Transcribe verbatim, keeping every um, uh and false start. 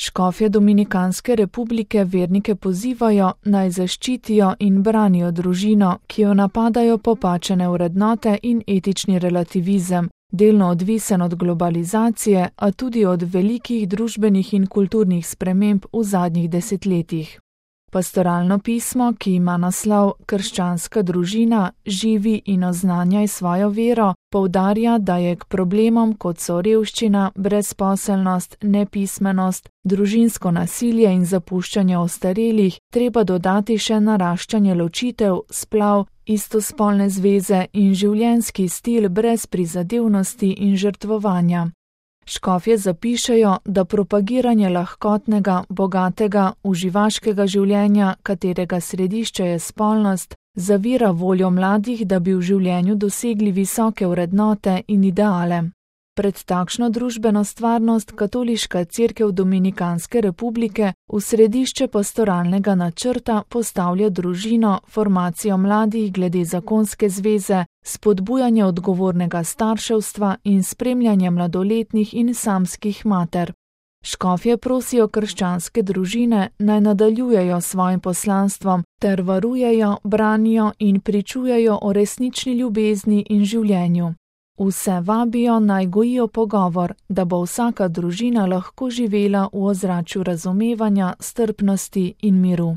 Škofje Dominikanske republike vernike pozivajo, naj zaščitijo in branijo družino, ki jo napadajo popačene vrednote in etični relativizem, delno odvisen od globalizacije, a tudi od velikih družbenih in kulturnih sprememb v zadnjih desetletjih. Pastoralno pismo, ki ima naslov Krščanska družina, živi in oznanjaj svojo vero, poudarja, da je k problemom, kot so revščina, brezposelnost, nepismenost, družinsko nasilje in zapuščanje ostarelih, treba dodati še naraščanje ločitev, splav, istospolne zveze in življenjski stil brez prizadevnosti in žrtvovanja. Škofje zapišejo, da propagiranje lahkotnega, bogatega, uživaškega življenja, katerega središče je spolnost, zavira voljo mladih, da bi v življenju dosegli visoke vrednote in ideale. Pred takšno družbeno stvarnost Katoliška cerkev Dominikanske republike v središče pastoralnega načrta postavlja družino, formacijo mladih glede zakonske zveze, spodbujanje odgovornega starševstva in spremljanje mladoletnih in samskih mater. Škofje prosijo krščanske družine, naj nadaljujejo s svojim poslanstvom ter varujejo, branijo in pričujejo o resnični ljubezni in življenju. Vse vabijo, naj gojijo pogovor, da bo vsaka družina lahko živela v ozračju razumevanja, strpnosti in miru.